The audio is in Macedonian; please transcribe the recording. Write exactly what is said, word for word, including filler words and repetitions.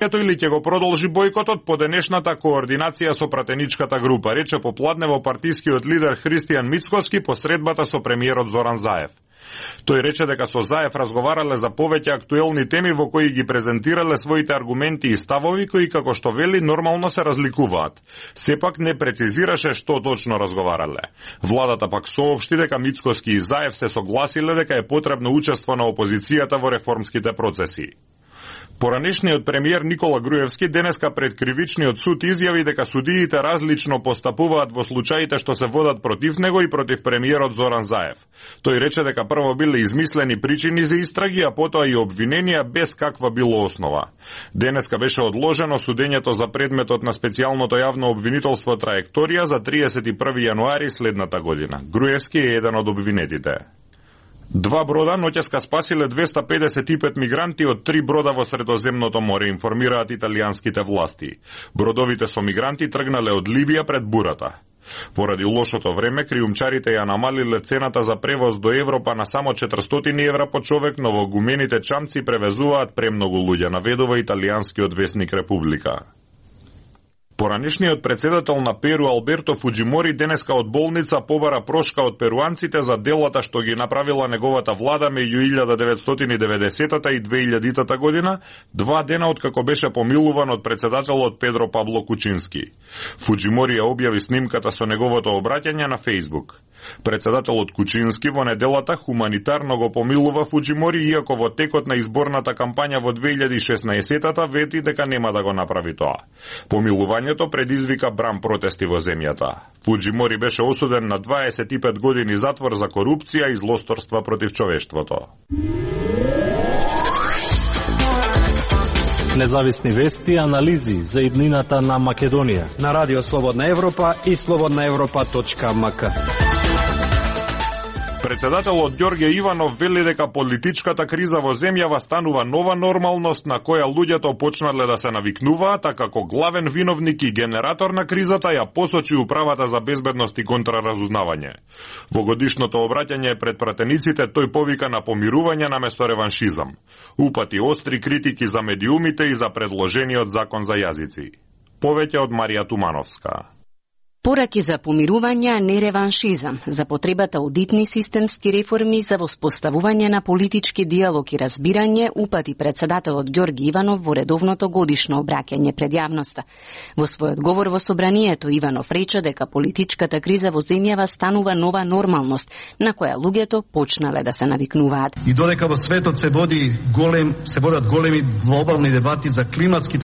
или ќе го продолжи бојкотот по денешната координација со пратеничката група, рече попладнево партискиот лидер Христијан Мицкоски по средбата со премиерот Зоран Заев. Тој рече дека со Заев разговарале за повеќе актуелни теми во кои ги презентирале своите аргументи и ставови кои, како што вели, нормално се разликуваат. Сепак не прецизираше што точно разговарале. Владата пак соопшти дека Мицкоски и Заев се согласиле дека е потребно учество на опозицијата во реформските процеси. Поранешниот премиер Никола Груевски денеска пред кривичниот суд изјави дека судиите различно постапуваат во случаите што се водат против него и против премиерот Зоран Заев. Тој рече дека прво биле измислени причини за истраги, а потоа и обвиненија без каква било основа. Денеска беше одложено судењето за предметот на специјалното јавно обвинителство Траекторија за триесет и први јануари следната година. Груевски е еден од обвинетите. Два брода ноќеска спасиле двеста педесет и пет мигранти од три брода во Средоземното море, информираат италијанските власти. Бродовите со мигранти тргнале од Либија пред бурата. Поради лошото време, криумчарите ја намалиле цената за превоз до Европа на само четиристотини евра по човек, но во гумените чамци превезуваат премногу луѓе, наведува италијанскиот весник Република. Поранешниот председател на Перу Алберто Фуџимори денеска од болница побара прошка од перуанците за делата што ги направила неговата влада меѓу илјада деветстотини и деветдесетата и две илјадитата година, два дена откако беше помилуван од председателот Педро Пабло Кучински. Фуџимори ја објави снимката со неговото обраќање на Фејсбук. Председателот Кучински во неделата хуманитарно го помилува Фуџимори, иако во текот на изборната кампања во две илјади и шеснаесетата вети дека нема да го направи тоа. Помилувањето предизвика бран протести во земјата. Фуџимори беше осуден на дваесет и пет години затвор за корупција и злосторства против човештвото. Независни вести и анализи за иднината на Македонија на Радио Слободна Европа и слободна европа точка ем ка. Председателот Ѓорѓе Иванов вели дека политичката криза во земјава станува нова нормалност на која луѓето почнале да се навикнуваат, а како главен виновник и генератор на кризата ја посочи Управата за безбедност и контраразузнавање. Во годишното обраќање пред пратениците тој повика на помирување наместо реваншизам. Упати остри критики за медиумите и за предложениот закон за јазици. Повеќе од Марија Тумановска. Пораки за помирување, а не реваншизам, за потребата од итни системски реформи за воспоставување на политички диалог и разбирање, упати председателот Ѓорги Иванов во редовното годишно обраќање пред јавноста. Во својот говор во собранието Иванов рече дека политичката криза во земјава станува нова нормалност, на која луѓето почнале да се навикнуваат. И додека во светот се води голем, се водат големи глобални дебати за климатските